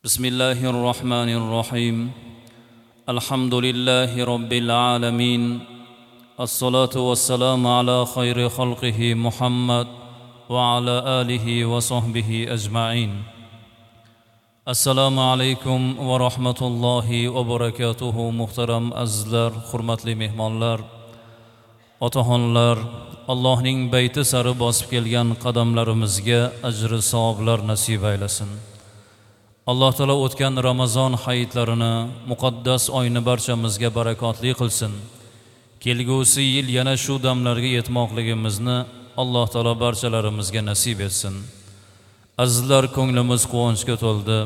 بسم الله الرحمن الرحيم. الحمد لله رب العالمين. الصلاة والسلام على خير خلقه محمد وعلى آله وصحبه أجمعين. Assalomu alaykum va rahmatullohi va barakatuhu. Muhtaram azizlar, hurmatli mehmonlar, otaxonlar, Allohning bayti sari bosib kelgan qadamlarimizga ajri savoblar nasib aylasin. Alloh taolo o'tgan Ramazon hayitlarini, muqaddas oyni barchamizga barakotli qilsin. Kelgusi yil yana shu damlarga yetmoqligimizni Alloh taolo barchalarimizga nasib etsin. Azizlar, ko'nglimiz quvonchga to'ldi,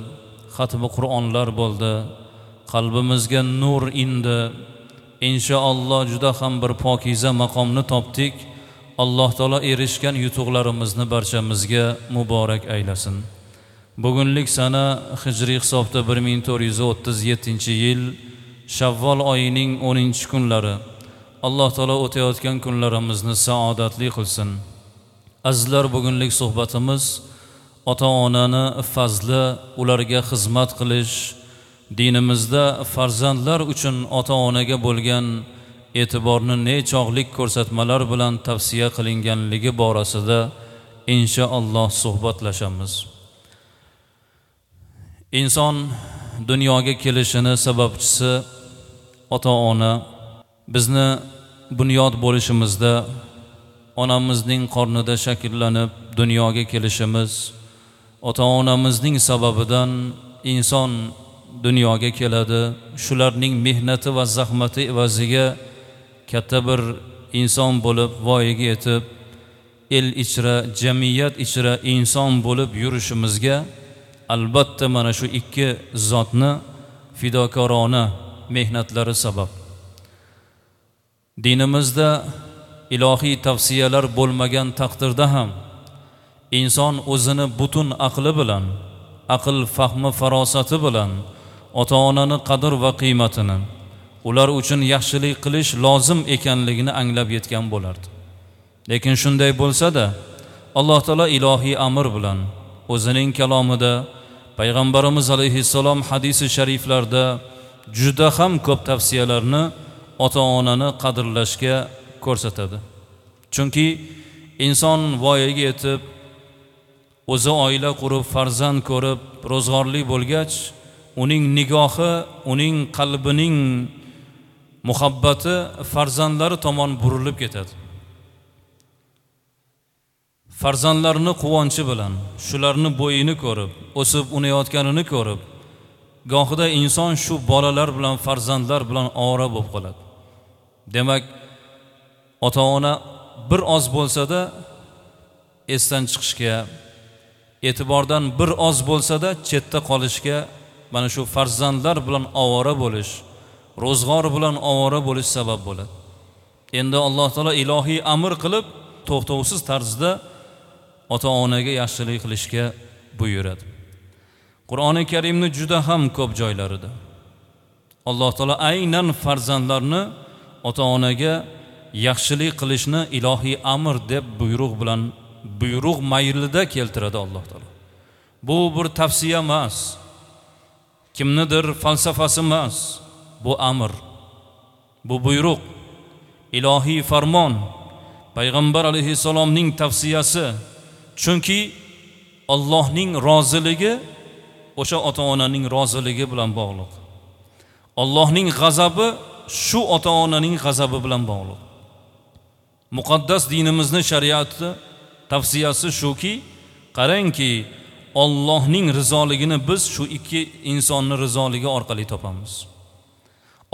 xatmi Qur'onlar bo'ldi, qalbimizga nur indi. Inshaalloh juda ham bir pokiza maqomni topdik. Alloh taolo erishgan yutuqlarimizni barchamizga muborak aylasin. Bugunlik sana hijriy hisobda 1437-yil Shavvol oyining 10-kunlari. Alloh taolo o'tayotgan kunlarimizni saodatli qilsin. Azizlar, bugunlik suhbatimiz ota-onani fazli, ularga xizmat qilish, dinimizda farzandlar uchun ota-onaga bo'lgan e'tiborni nechog'lik ko'rsatmalar bilan tavsiya qilinganligi borasida inshaalloh suhbatlashamiz. Inson dunyoga kelishini sababchisi ota-ona. Bizni bunyod bo'lishimizda, onamizning qornida shakllanib dunyoga kelishimiz ota-onamizning sababidan inson dunyoga keladi. Shularning mehnati va zahmati evaziga katta bir inson bo'lib voyaga yetib, el ichra, jamiyat ichra inson bo'lib yurishimizga albatta mana shu ikki zotni fidokorona mehnatlari sabab. Dinimizda ilohiy tavsiyalar bo'lmagan taqdirda ham inson o'zini butun aqli bilan, aql fahmi farosati bilan ota-onani qadr va qiymatini, ular uchun yaxshilik qilish lozim ekanligini anglab yetgan bo'lardi. Lekin shunday bo'lsa-da, Alloh taolo ilohiy amr bilan o'zining kalomida, payg'ambarimiz alayhissalom hadisi shariflarda juda ham ko'p tavsiyalarni ota-onani qadrlashga ko'rsatadi. Chunki inson voyaga yetib, o'zi oila qurib, farzand ko'rib, ro'zg'orli bo'lgach, uning nigohi, uning qalbining muhabbati farzandlari tomon burilib ketadi. Farzandlarini quvonchi bilan, shularni bo'yini ko'rib, o'sib unayotganini ko'rib, gohida inson shu bolalar bilan, farzandlar bilan ovora bo'lib qoladi. Demak, ota-ona bir oz bo'lsa-da esdan chiqishga, e'tibordan bir oz bo'lsa-da chetda qolishga, mana shu farzandlar bilan ovora bo'lish, ro'zg'or bilan ovora bo'lish sabab bo'ladi. Endi Alloh taolo ilohiy amr qilib, to'xtovsiz tarzda ota-onaga yaxshilik qilishga buyuradi. Qur'oni Karimni juda ham ko'p joylarida Alloh taolo aynan farzandlarni ota-onaga yaxshilik qilishni ilohiy amr deb buyruq bilan, buyruq maylida keltiradi Alloh taolo. Bu bir tavsiya emas, kimnidir falsafasi emas, bu amr, bu buyruq, ilohiy farmon, payg'ambar alayhissalomning tavsiyasi. Chunki Allohning roziligi o'sha ota-onaning roziligi bilan bog'liq. Allohning g'azabi shu ota-onaning g'azabi bilan bog'liq. Muqaddas dinimizni shariati tavsiyasi shuki, qarangki, Allohning rizoligini biz shu ikki insonning rizoligi orqali topamiz.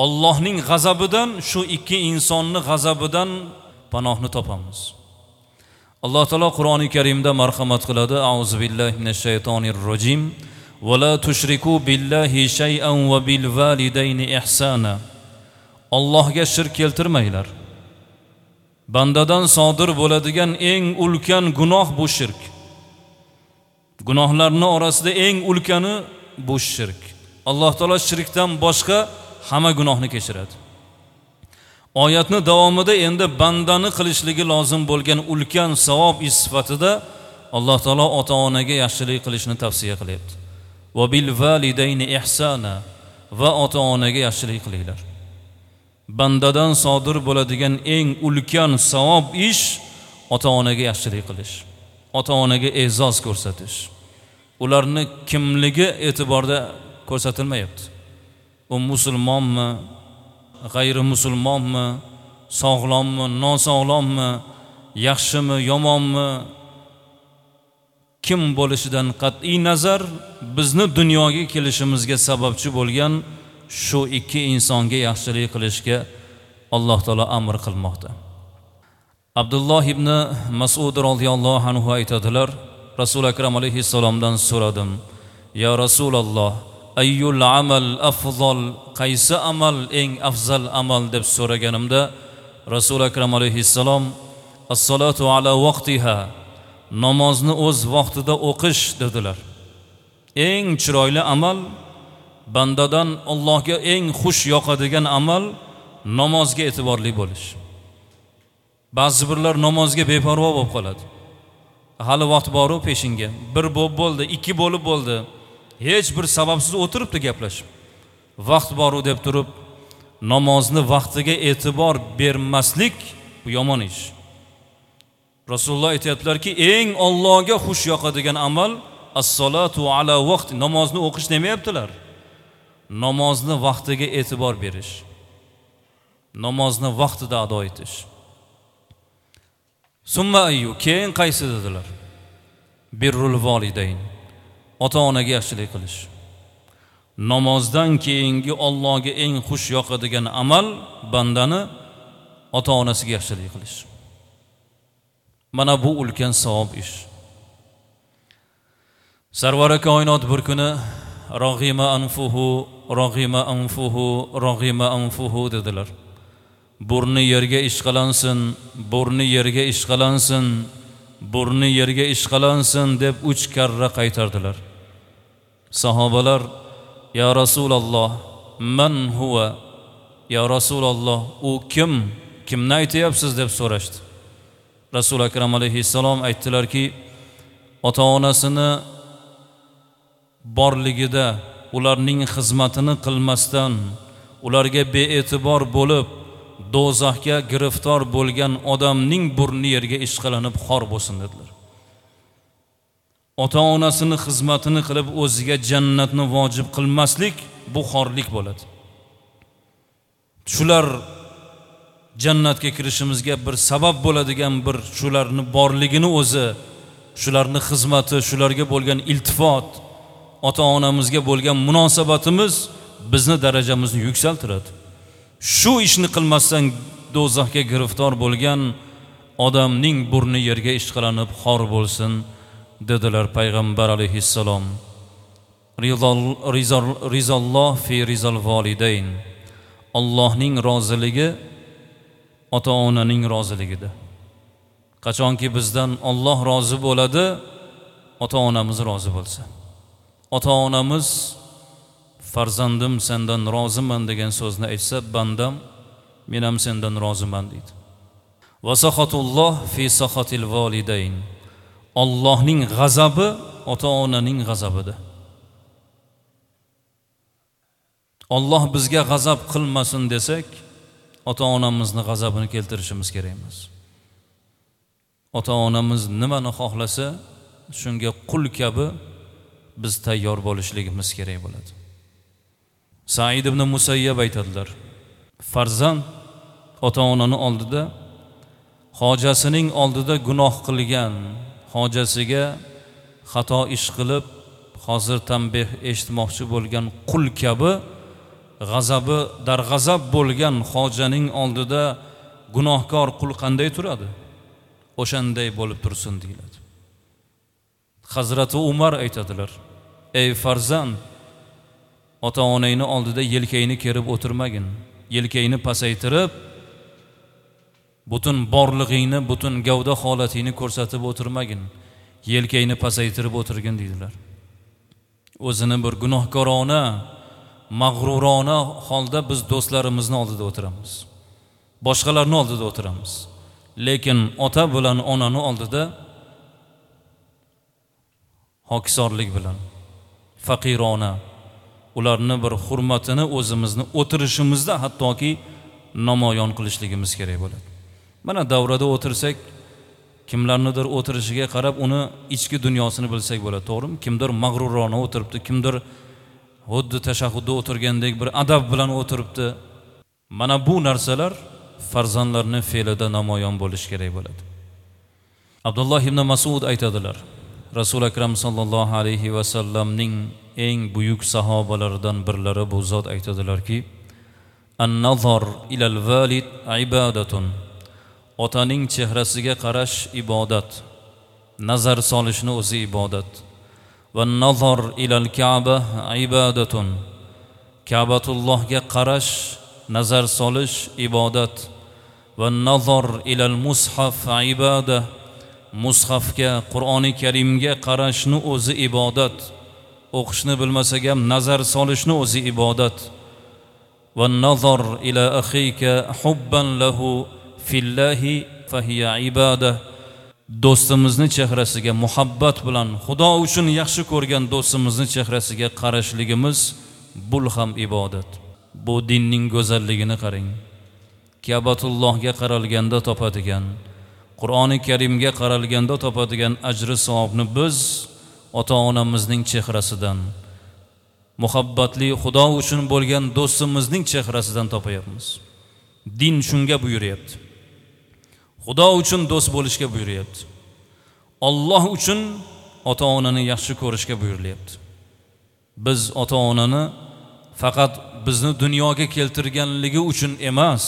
Allohning g'azabidan shu ikki insonning g'azabidan panohni topamiz. Alloh taolo Qur'oni Karimda marhamat qiladi. Auzu billahi minash shaytonir rojim. Va la tushriku billahi shay'an va bil validayni ihsana. Allohga shirk keltirmanglar. Bandadan sodir bo'ladigan eng ulkan gunoh bu shirk. Gunohlarning orasida eng ulkani bu shirk. Alloh taolo shirkdan boshqa hamma gunohni kechiradi. Oyatni davomida endi bandani qilishligi lozim bo'lgan ulkan savob ish sifatida Alloh taolo ota-onaga yaxshilik qilishni tavsiya qilyapti. Va bil validayni ihsana, va ota-onaga yaxshilik qilinglar. Bandadan sodir bo'ladigan eng ulkan savob ish ota-onaga yaxshilik qilish, ota-onaga e'zoz ko'rsatish. Ularni kimligi e'tiborda ko'rsatilmayapti. U musulmonmi, g'ayri musulmonmi, sog'lommi, nosog'lommi, yaxshimi, yomonmi, kim bo'lishidan qat'iy nazar bizni dunyoga kelishimizga sababchi bo'lgan shu ikki insonga yaxshilik qilishga Alloh taolo amr qilmoqda. Abdulloh ibn Mas'ud radhiyallohu anhu aytadilar, Rasul akram alayhissalomdan so'radim: "Ya Rasululloh, ayyul amal afzal, qaysi amal eng afzal amal?" deb so'raganimda Rasul akram alayhissalom "As-salatu ala vaqtiha", namozni o'z vaqtida o'qish dedilar. Eng chiroyli amal, bandadan Allohga eng xush yoqadigan amal namozga e'tiborli bo'lish. Ba'zi birlar namozga beparvo bo'lib qoladi. Hali vaqt bor-u peshinga. Bir bo'lib bo'ldi, ikki bo'lib bo'ldi. Hech bir sababsiz o'tiribdi gaplashib. Vaqt bor-u deb turib namozni vaqtiga e'tibor bermaslik bu yomon ish. Rasululloh aytayaptilarki, eng Allohga xush yoqadigan amal as-salatu ala vaqt, namozni o'qish demayaptilar. Namozni vaqtiga e'tibor berish. Namozni vaqtida ado etish. Summa ayyu, keyin qaysi dedilar? Birrul validayn, ota-onaga yaxshilik qilish. Namozdan keyingi Allohga eng xush yoqadigan amal bandani ota-onasiga yaxshilik qilish. Mana bu ulkan savob ish. Sarvari koinot bir kuni rag'ima anfuhu, rag'ima anfuhu, rag'ima anfuhu dedilar. Burni yerga ishqalansin, burni yerga ishqalansin, burni yerga ishqalansin deb 3 karra qaytardilar. Sahobalar: "Ya Rasululloh, man huwa? Ya Rasululloh, u kim? Kimni aytayapsiz?" deb so'rashdi. Rasul akram alayhissalom aytdilarki, ota-onasini borligida ularning xizmatini qilmasdan, ularga be'tibor bo'lib do'zaxga giriftor bo'lgan odamning burni yerga ishqalanib xor bo'lsin dedilar. Ota-onasini xizmatini qilib o'ziga jannatni vojib qilmaslik bu xorlik bo'ladi. Shular jannatga kirishimizga bir sabab bo'ladigan bir shularni borligini o'zi, shularni xizmati, shularga bo'lgan iltifot, ota-onamizga bo'lgan munosabatimiz bizni darajamizni yuksaltiradi. Shu ishni qilmasdan do'zaxga giriftor bo'lgan odamning burni yerga ishqalanib xor bo'lsin dedilar payg'ambar alayhissalom. Rizalloh fi rizal validayn. Allohning roziligi ota-onaning roziligida. Qachonki bizdan Alloh rozi bo'ladi, ota-onamiz rozi bo'lsa. Ota-onamiz farzandim sendan roziman degan so'zni aytsa, bandam men ham sendan roziman deydi. Va saxatulloh fi saxatil validayn. Allohning g'azabi ota-onaning g'azabida. Alloh bizga g'azab qilmasin desak, ota-onamizni g'azabini keltirishimiz kerak emas. Ota-onamiz nimani xohlasa, shunga qul kabi biz tayyor bo'lishligimiz kerak bo'ladi. Said ibn Musayyab aytadilar, farzand ota-onani oldida, hojasining oldida gunoh qilgan, hojasiga xato ish qilib, hozir tanbeh eshitmoqchi bo'lgan qul kabi g'azabi darg'azab bo'lgan hojaning oldida gunohkor qul qanday turadi? O'shanday bo'lib tursin deyiladi. Hazrati Umar aytadilar, ey farzand, ota-onangni oldida yelkangni kerib o'tirmagin, yelkangni pasaytirib, butun borlig'ingni, butun gavda holatingni ko'rsatib o'tirmagin, yelkangni pasaytirib o'tirgin deydilar. O'zini bir gunohkorona, mag'rurona holda biz do'stlarimizni oldida o'tiramiz, boshqalarni oldida o'tiramiz. Lekin ota bilan onani oldida hokisorlik bilan, Faqirona ularni bir hurmatini o'zimizni o'tirishimizda hattoki namoyon qilishligimiz kerak bo'ladi. Mana davrada o'tirsak, kimlarnidir o'tirishiga qarab uni ichki dunyosini bilsak bo'ladi, to'g'rimi? Kimdir mag'rurona o'tiribdi, kimdir xuddi tashahhudda o'tirgandek bir adab bilan o'tiribdi. Mana bu narsalar farzandlarning fe'lida namoyon bo'lishi kerak bo'ladi. Abdulloh ibn Mas'ud aytadilar, Rasul Akram sallallohu alayhi va sallamning eng buyuk sahobalaridan birlari bu zot aytadilarki, an-nazar ilal valid ibadatun. Otaning chehrasiga qarash ibodat. Nazar solishni o'zi ibodat. Va nazar ilal Ka'ba ibadatun. Ka'batullohga qarash, nazar solish ibodat. Va nazar ilal mushaf ibada. Mushafga, Qur'oni Karimga qarashni o'zi ibodat. O'qishni bilmasak ham nazar solishni o'zi ibodat. Va nazar ila akhika hubban lahu fillahi fahiya ibada. Do'stimizni chehrasiga muhabbat bilan, Xudo uchun yaxshi ko'rgan do'stimizni chehrasiga qarashligimiz bul ham ibodat. Bu dinning go'zalligini qarang. Ka'batullohga qaralganda topadigan, Qur'oni Karimga qaralganda topadigan ajri savobni biz ota-onamizning chehrasidan, muhabbatli Xudo uchun bo'lgan do'stimizning chehrasidan topayapmiz. Din shunga buyuryapti. Xudo uchun do'st bo'lishga buyuryapti. Alloh uchun ota-onani yaxshi ko'rishga buyurilyapti. Biz ota-onani faqat bizni dunyoga keltirganligi uchun emas,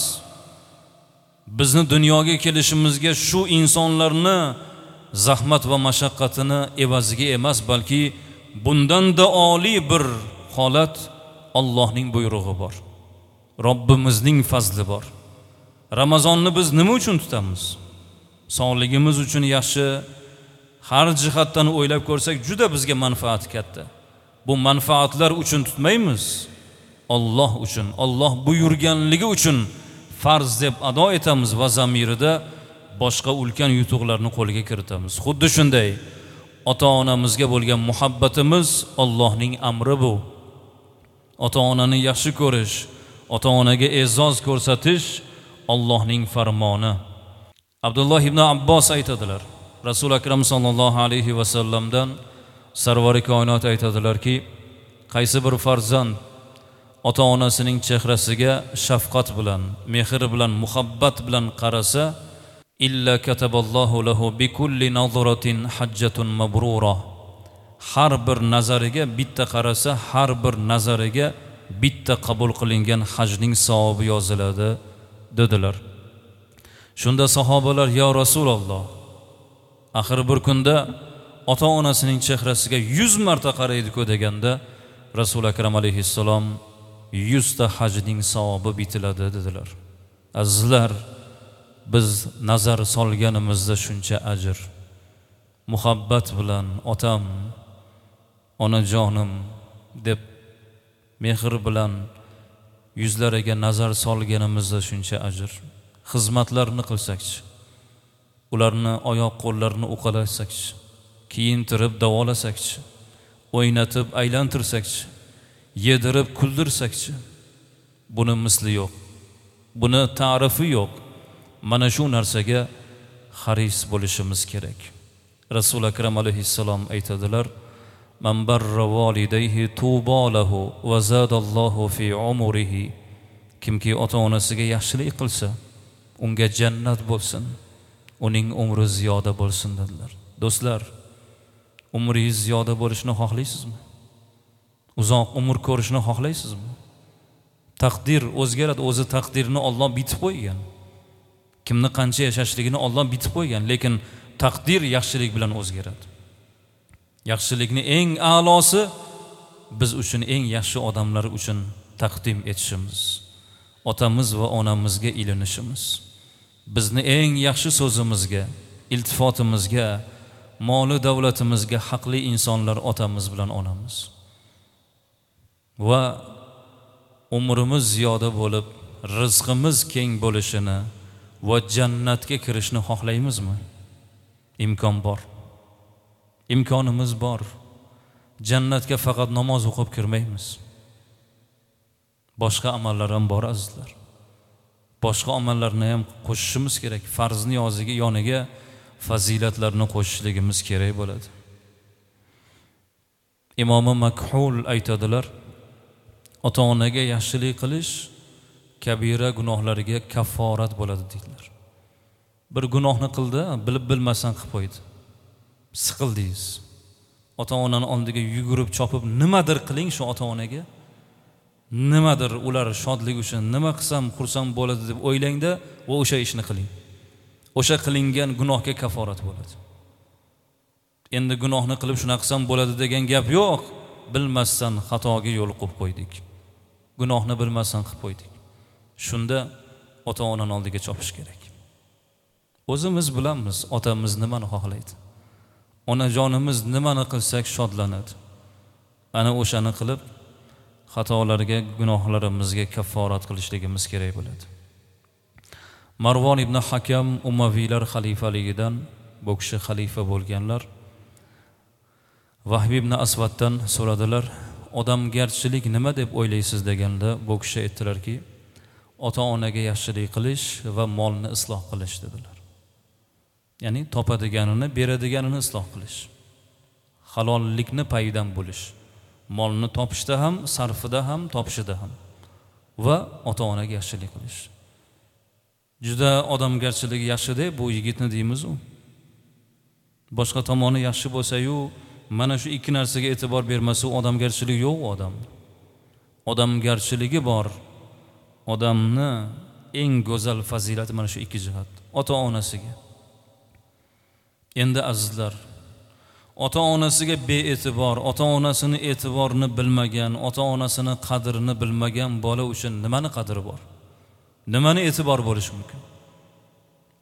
bizni dunyoga kelishimizga shu insonlarni zahmat va mashaqqatini evaziga emas, balki bundan-da oliy bir holat Allohning buyrug'i bor. Robbimizning fazli bor. Ramazonni biz nima uchun tutamiz? Sog'ligimiz uchun yaxshi, har jihatdan o'ylab ko'rsak juda bizga manfaati katta. Bu manfaatlar uchun tutmaymiz. Alloh uchun, Alloh buyurganligi uchun farz deb ado etamiz va zamirida boshqa ulkan yutuqlarni qo'lga kiritamiz. Xuddi shunday ota-onamizga bo'lgan muhabbatimiz Allohning amri bu. Ota-onani yaxshi ko'rish, ota-onaga e'zoz ko'rsatish Allohning farmoni. Abdulloh ibn Abbos aytadilar, Rasul Akram sallallohu alayhi va sallamdan sarvari koinot aytadilarki, qaysi bir farzand ota-onasining chehrasiga shafqat bilan, mehr bilan, muhabbat bilan qarasa, illa kataballohu lahu bikulli nazratin hajjatun mabrura. Har bir nazariga bitta qarasa, har bir nazariga bitta qabul qilingan hajning savobi yoziladi dedilar. Shunda sahobalar, ya Rasululloh, axir bir kunda ota-onasining chehrasiga 100 marta qaraydi-ku deganda, Rasul Akram alayhissalom 100 ta hajning savobi bitiladi dedilar. Azizlar, biz nazar solganimizda shuncha ajr, muhabbat bilan otam, onajonim deb mehr bilan yuzlariga nazar solganimizda shuncha ajr. Xizmatlarni qilsakchi, ularni oyoq qo'llarini uqalasakchi, kiyintirib davolasakchi, o'ynatib aylantirsakchi, yedirib kuldirsakchi, buni misli yo'q, buni ta'rifi yo'q. Mana shu narsaga haris bo'lishimiz kerak. Rasul Akram alayhissalom aytadilar: Man barra validayhi tuba lahu va zadallohu fi umrihi. Kimki ota-onasiga yaxshilik qilsa, unga jannat bo'lsin, uning umri ziyoda bo'lsin dedilar. Do'stlar, umringiz ziyoda bo'lishini xohlaysizmi? Uzoq umr ko'rishni xohlaysizmi? Taqdir o'zgaradi, o'zi taqdirni Alloh bitib qo'ygan. Kimni qancha yashashligini Alloh bitib qo'ygan, lekin taqdir yaxshilik bilan o'zgaradi. Yaxshilikni eng a'losi biz uchun eng yaxshi odamlar uchun taqdim etishimiz, otamiz va onamizga ilinishimiz, bizni eng yaxshi so'zimizga, iltifotimizga, moli davlatimizga haqli insonlar otamiz bilan onamiz. Va umrimiz ziyoda bo'lib, rizqimiz keng bo'lishini va jannatga kirishni xohlaymizmi? Imkon bor. Imkonimiz bor. Jannatga faqat namoz o'qib kirmaymiz. Boshqa amallar ham bor azizlar. Boshqa amallarni ham qo'shishimiz kerak. Farzni yoniga fazilatlarni qo'shishligimiz kerak bo'ladi. Imomi Makhul aytadilar, ota-onaga yaxshilik qilish kabira gunohlariga kafforat bo'ladi deydilar. Bir gunohni qildi, bilib bilmasdan qilib qo'ydi. Siqildingiz. Ota-onani oldiga yugurib chopib nimadir qiling shu ota-onaga. Nimadir ular shodlik uchun nima qilsam xursand bo'ladi deb o'ylangda va o'sha ishni qiling. O'sha qilingan gunohga kaforat bo'ladi. Endi gunohni qilib shuna qilsam bo'ladi degan gap yo'q. Bilmasdan xatoga yo'l qo'yib qo'ydik. Gunohni bilmasdan qilib qo'ydik. Shunda ota-onani oldiga chopish kerak. O'zimiz bilamiz otamiz nimani xohlaydi. Onajonimiz nimani qilsak shodlanadi. Ana o'shani qilib xatolarga, gunohlarimizga kafforat qilishligimiz kerak bo'ladi. Marvon ibn Hakam Umaviylar xalifaligidan, bu kishi xalifa bo'lganlar. Vahb ibn Asvaddan so'radilar, odamgarchilik nima deb o'ylaysiz deganda, bu kishi aytdilarki, ota-onaga yaxshilik qilish va molni isloh qilish dedilar. Ya'ni topadiganini, beradiganini isloh qilish. Halollikni payidan bo'lish. Molni topishda ham, sarfida ham, topishida ham va ota-onaga yaxshilik qilish. Juda odamgarchiligi yaxshi-da bu yigitni deymiz u. Boshqa tomoni yaxshi bo'lsa-yu, mana shu ikki narsaga e'tibor bermasa, odamgarchilik yo'q u odamda. Odamgarchiligi bor odamni eng go'zal fazilati mana shu ikki jihat. Ota-onasiga. Endi azizlar, ota-onasiga be'tibor, ota-onasini e'tiborini bilmagan, ota-onasini qadrini bilmagan bola uchun nimani qadri bor? Nimani e'tibor bo'lishi mumkin?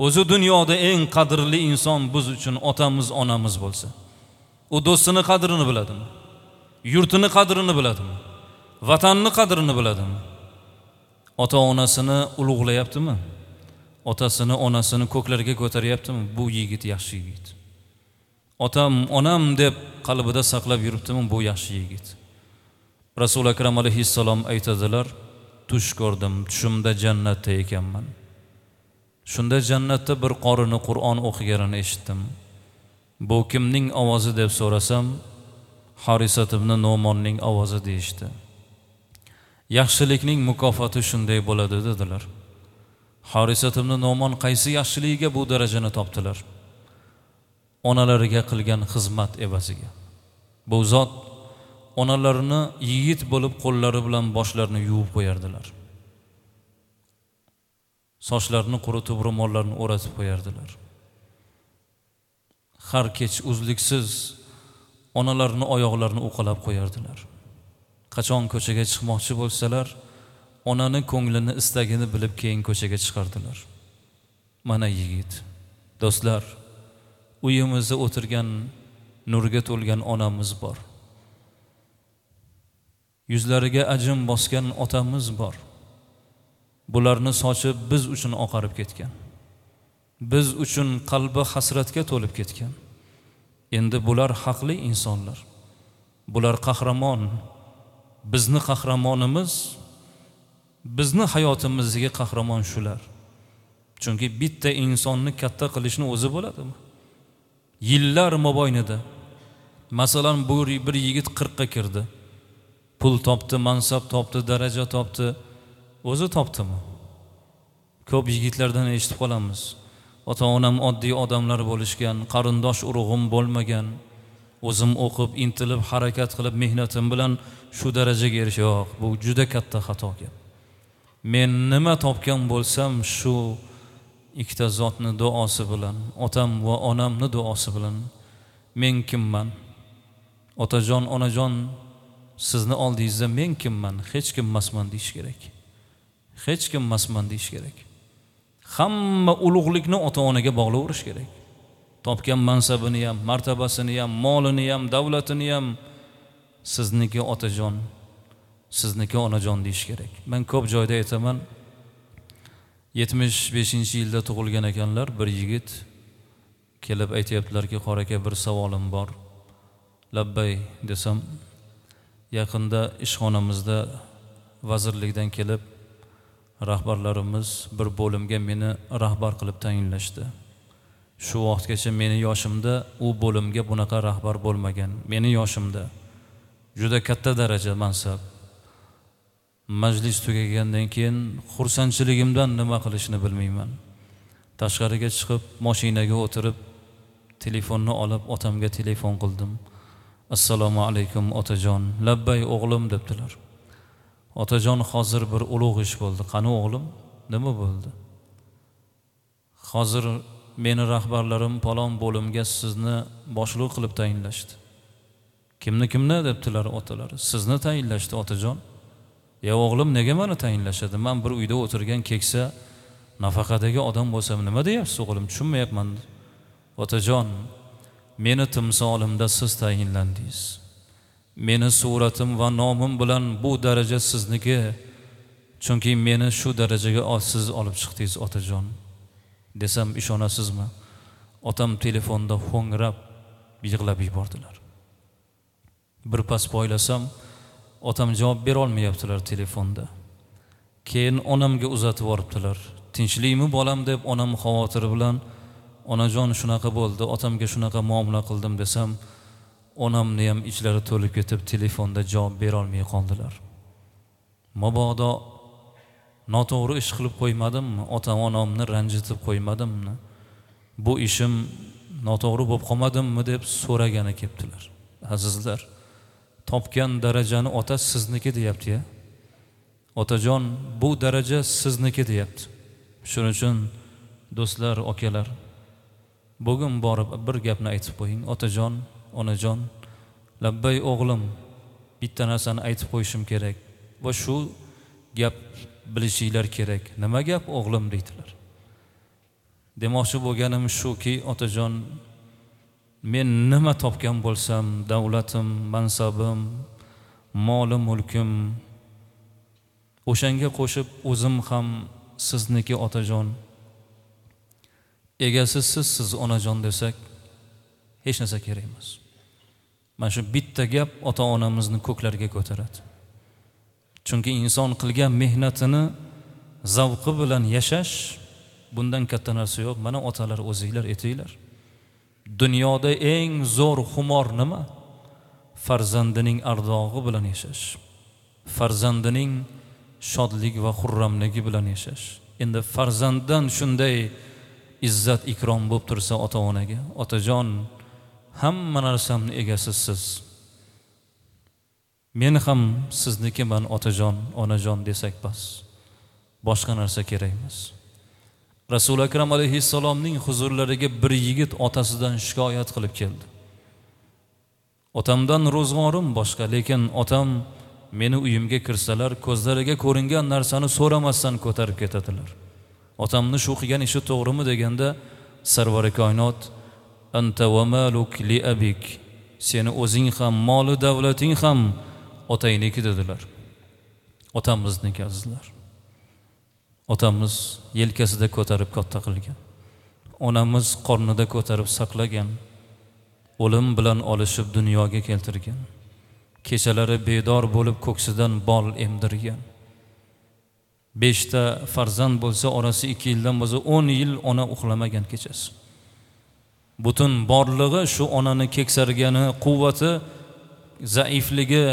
O'zi dunyoda eng qadrli inson biz uchun otamiz, onamiz bo'lsa, u do'stini qadrini biladimi? Yurtini qadrini biladimi? Vatanni qadrini biladimi? Ota-onasini ulug'layaptimi? Otasini, onasini ko'klarga ko'taryaptimi? Bu yigit yaxshi yigit. Otam, onam deb qalbida saqlab yuribdimi? Bu yaxshi yigit. Rasul Akram alayhissalom aytadilar, tush ko'rdim, tushimda jannatda ekanman. Shunda jannatda bir qorini Qur'on o'qiganini eshitdim. Bu kimning ovozi deb so'rasam, Harisat ibn Nu'monning ovozi deyishdi. Yaxshilikning mukofoti shunday bo'ladi dedilar. Harisat ibn Nu'mon qaysi yaxshiligiga bu darajani topdilar? Onalariga qilgan xizmat evaziga. Bu zot onalarini yigit bo'lib qo'llari bilan boshlarini yuvib qo'yardilar. Sochlarini quritib, ro'mollarini o'ratib qo'yardilar. Har kech uzluksiz onalarini oyoqlarini uqalab qo'yardilar. Qachon ko'chaga chiqmoqchi bo'lsalar, onani ko'nglini, istagini bilib keyin ko'chaga chiqardilar. Mana yigit, do'stlar, uyimizda o'tirgan nurga to'lgan onamiz bor. Yuzlariga ajin bosgan otamiz bor. Bularni sochi biz uchun oqarib ketgan. Biz uchun qalbi hasratga to'lib ketgan. Endi bular haqli insonlar. Bular qahramon. Bizni qahramonimiz, bizni hayotimizdagi qahramon shular. Chunki bitta insonni katta qilishni o'zi bo'ladimi? Yillar mobaynida. Masalan, bu bir yigit 40 ga kirdi. Pul topdi, mansab topdi, daraja topdi. O'zi topdimi? Ko'p yigitlardan eshitib qolamiz. Ota-onam oddiy odamlar bo'lishgan, qarindosh urug'im bo'lmagan. O'zim o'qib, intilib, harakat qilib, mehnatim bilan shu darajaga erish yo'q. Bu juda katta xato gap. Men nima topgan bo'lsam, shu ikkita zotni duosi bilan, otam va onamni duosi bilan men kimman? Otajon, onajon, sizni oldingizda men kimman? Hech kim emasman deyish kerak. Hech kim emasman deyish kerak. Hamma ulug'likni ota-onaga bog'laverish kerak. Topgan mansabini ham, martabasini ham, molini ham, davlatini ham sizniki otajon, sizniki onajon deyish kerak. Men ko'p joyda aytaman, 75-yilda tug'ilgan ekanlar, bir yigit kelib aytayaptilarki, qora aka, bir savolim bor. Labbay desam, yaqinda ishxonamizda vazirlikdan kelib rahbarlarimiz bir bo'limga meni rahbar qilib tayinlashdi. Shu vaqtgacha meni yoshimda u bo'limga bunaqa rahbar bo'lmagan. Meni yoshimda juda katta daraja, mansab. Majlis tugagandan keyin xursandchiligimdan nima qilishni bilmayman. Tashqariga chiqib, mashinaga o'tirib, telefonni olib otamga telefon qildim. Assalomu alaykum otajon. Labbay o'g'lim debdilar. Otajon, hozir bir ulug' ish bo'ldi. Qani o'g'lim? Nima bo'ldi? Hozir meni rahbarlarim falon bo'limga sizni boshliq qilib tayinlashdi. Kimni kimni debdilar otalari. Sizni tayinlashdi otajon. Ya o'g'lim, nega meni tayinlashadi? Men bir uyda o'tirgan keksa nafaqadagi odam bo'lsam nima deyapsiz o'g'lim? Tushunmayapman. Otajon, meni timsolimda siz tayinlandingiz. Meni suratim va nomim bilan bu daraja sizniki. Chunki meni shu darajaga siz olib chiqdingiz otajon. Desam ishonasizmi? Otam telefonda ho'ngrab yig'lab yubordilar. Bir pas poylasam, otam javob bera olmayaptilar telefonda. Keyin onamga uzatib yuboribdilar. Tinchlikmi bolam deb onam xavotir bilan, onajon shunaqa bo'ldi, otamga shunaqa muomala qildim desam, onamni ham ichlari to'lib ketib telefonda javob bera olmay qoldilar. Mabodo noto'g'ri ish qilib qo'ymadimmi? Ota-onamni ranjitib qo'ymadimmi? Bu ishim noto'g'ri bo'lib qolmadimmi deb so'ragani kelibdilar. Azizlar, topgan darajani ota sizniki deyapti-ya. Otajon, bu daraja sizniki deyapti. Shuning uchun do'stlar, akalar, bugun borib bir gapni aytib qo'ying. Otajon, onajon, labbay o'g'lim, bitta narsani aytib qo'yishim kerak va shu gap bilishinglar kerak. Nima gap o'g'lim deydilar. Demoqchi bo'lganim shuki, otajon, men nima topgan bo'lsam, davlatim, mansabim, molim, mulkim, o'shanga qo'shib o'zim ham sizniki otajon. Egasi sizsiz onajon desak, hech narsa kerak emas. Mana shu bitta gap ota-onamizni ko'klarga ko'taradi. Chunki inson qilgan mehnatini zavqi bilan yashash, bundan katta narsa yo'q. Mana otalar o'zinglar aytinglar. Dunyoda eng zo'r xumor nima? Farzandining ardog'i bilan yashash. Farzandining shodlik va xurramligi bilan yashash. Endi farzanddan shunday izzat ikrom bo'lib tursa ota-onaga, otajon, hamma narsamni egasi siz. Men ham siznikiman otajon, onajon desak bas. Boshqa narsa kerak emas. Rasul Akram alayhissalomning huzurlariga bir yigit otasidan shikoyat qilib keldi. Otamdan ro'zg'orim boshqa, lekin otam meni uyimga kirsalar, ko'zlariga ko'ringan narsani so'ramasdan ko'tarib ketadilar. Otamni shu qilgan ishi to'g'rimi deganda, Sarvari koinot anta va maluk li abik, seni o'zing ham, moli davlating ham otangniki dedilar. Otamizniki azizlar. Otamiz yelkasida ko'tarib katta qilgan. Onamiz qornida ko'tarib saqlagan. O'lim bilan olishib dunyoga keltirgan. Kechalari bedor bo'lib ko'ksidan bol emdirgan. 5 ta farzand bo'lsa, orasi 2 yildan bo'lsa 10 yil ona uxlamagan kechasi. Butun borlig'i shu onani keksargani, quvvati, zaifligi,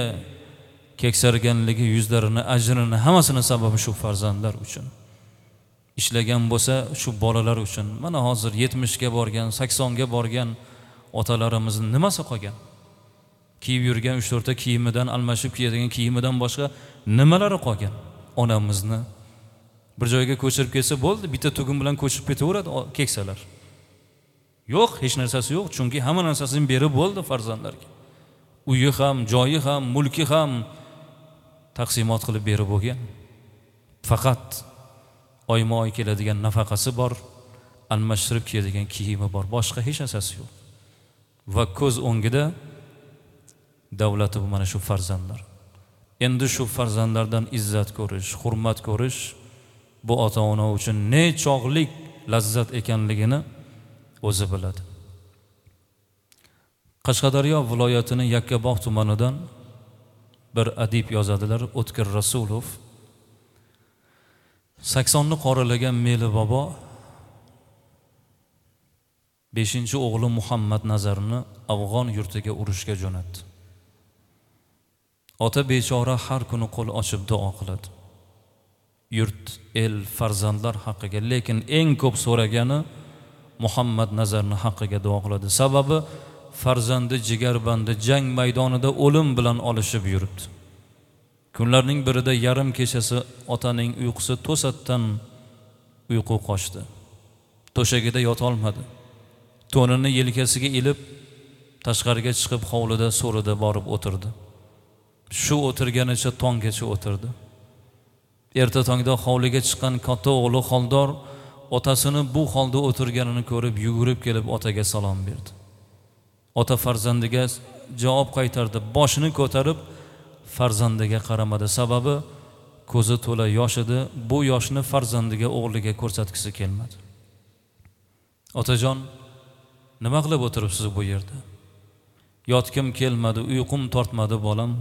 keksarganligi, yuzlarini, ajrini hammasini sababi shu farzandlar uchun. Ishlagan bo'lsa shu bolalar uchun. Mana hozir 70 ga borgan, 80 ga borgan otalarimizning nimasi qolgan? Kiyib yurgan 3-4 ta kiyimidan, almashib kiyadigan kiyimidan boshqa nimalari qolgan? Onamizni bir joyga ko'chirib kelsa bo'ldi, bitta tugun bilan ko'chirib ketaveradi keksalar. Yo'q, hech narsasi yo'q, chunki hamma narsasini berib bo'ldi farzandlarga. Uyi ham, joyi ham, mulki ham taqsimot qilib berib bo'lgan. Faqat oyma-oy keladigan nafaqasi bor, almashtirib kiyadigan kiyimi bor, boshqa hech narsasi yo'q. Va ko'z o'ngida davlati bu mana shu farzandlar. Endi shu farzandlardan izzat ko'rish, hurmat ko'rish bu ota-ona uchun nechog'lik lazzat ekanligini o'zi biladi. Qashqadaryo viloyatining Yakkabog' tumanidan bir adib yozadilar, O'tkir Rasulov. 80ni qoralagan Meli bobo 5-o'g'li Muhammad Nazarni Afg'on yurtiga urushga jo'natdi. Ota bechora har kuni qo'l ochib duo qiladi. Yurt, el, farzandlar haqqiga, lekin eng ko'p so'ragani Muhammad Nazarni haqqiga duo qiladi. Sababi farzandi jigarbandi jang maydonida o'lim bilan olishib yuribdi. Kunlarning birida yarim kechasi otaning uyqusi to'satdan uyqu qochdi. To'shagida yota olmadi. To'nini yelkasiga ilib tashqariga chiqib hovlida so'rida borib o'tirdi. Shu o'tirganicha tonggacha o'tirdi. Erta tongda hovliga chiqqan katta o'g'li Xoldor otasini bu holda o'tirganini ko'rib yugurib kelib otaga salom berdi. Ota farzandiga javob qaytardi, boshini ko'tarib farzandiga qaramadi. Sababi ko'zi to'la yosh edi. Bu yoshni farzandiga, o'g'liga ko'rsatgisi kelmadi. Otajon, nima qilib o'tiribsiz bu yerda? Yotgim kelmadi, uyqum tortmadi bolam.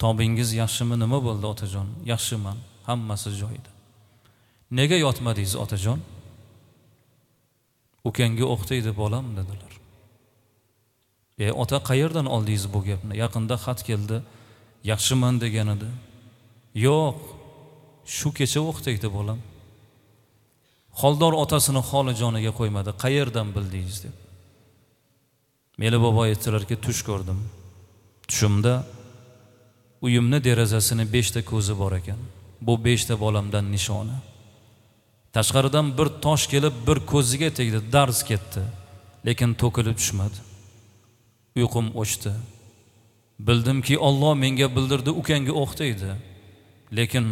Tobingiz yaxshimi, nima bo'ldi otajon? Yaxshiman, hammasi joyida. Nega yotmadingiz otajon? Ukangga o'qtaydi bolam dedilar. Ota, qayerdan oldingiz bu gapni? Yaqinda xat keldi, yaxshiman degan edi. Yo'q, shu kecha o'qtaydi bolam. Xoldor otasini holi joniga qo'ymadi. Qayerdan bildingiz deb. Meli bobo aytdilarki, tush ko'rdim. Tushimda uyimni derazasini 5 ta ko'zi bor ekan. Bu 5 ta bolamdan nishona. Tashqaridan bir tosh kelib bir ko'ziga tegdi, darz ketdi, lekin to'kilib tushmadi. Uyqum o'chdi. Bildimki, Alloh menga bildirdi, ukangga o'qtaydi. Lekin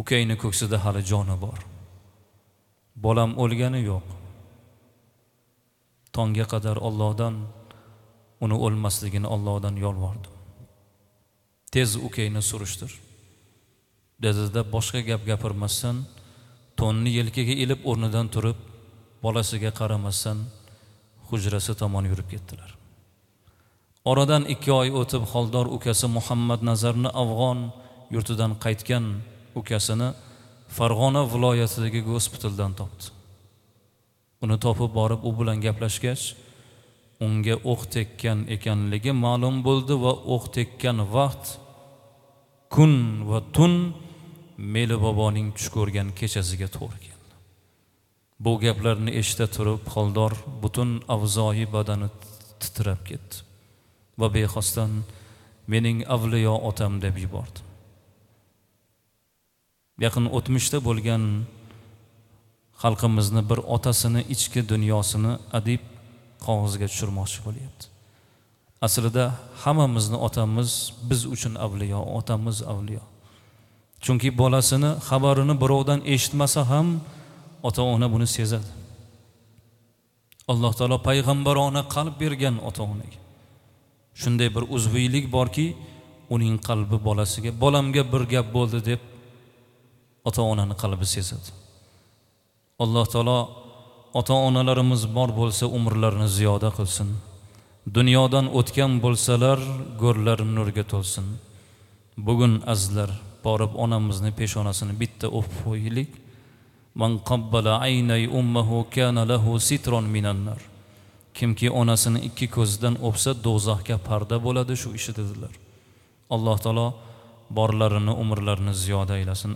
ukangni ko'ksida hali joni bor. Bolam o'lgani yo'q. Tongga qadar Allohdan uni o'lmasligini Allohdan yolvordim. Tez ukangni surishtir dedida boshqa gap gapirmasdan to'nni yelkaga ilib o'rnidan turib bolasiga qaramasdan hujrasi tomon yurib ketdilar. Oradan 2 oy o'tib Xoldor ukasi Muhammad Nazarni Afg'on yurtidan qaytgan ukasini Farg'ona viloyatidagi gospitaldan topdi. Uni topib borib u bilan gaplashgach, unga o'q tekkan ekanligi ma'lum bo'ldi va o'q tekkan vaqt kun va tun Meli boboning tush ko'rgan kechasiga to'g'ri keldi. Bu gaplarni eshita turib Xoldor butun avzoyi badani titrab ketdi va bexosdan mening avliyo otam deb yubordi. Yaqin o'tmishda bo'lgan xalqimizni bir otasini ichki dunyosini adib qog'ozga tushirmoqchi bo'lyapti. Aslida hammamizni otamiz biz uchun avliyo, otamiz avliyo. Chunki bolasini xabarini birovdan eshitmasa ham ota-ona buni sezadi. Alloh taolo payg'ambarona qalb bergan ota-onaga. Shunday bir uzviylik borki, uning qalbi bolasiga, bolamga bir gap bo'ldi deb ota-onani qalbi sezadi. Alloh taolo ota-onalarimiz bor bo'lsa umrlarini ziyoda qilsin. Dunyodan o'tgan bo'lsalar go'rlari nurga to'lsin. Bugun azizlar borib onamizni peshonasini bitta o'pib qo'yaylik. Man qabbala aynay ummuhu kana lahu sitron minan nar. Kimki onasini 2 ko'zidan o'psa do'zaxga parda bo'ladi shu ishi dedilar. Alloh taolo borlarini umrlarini ziyoda aylasin.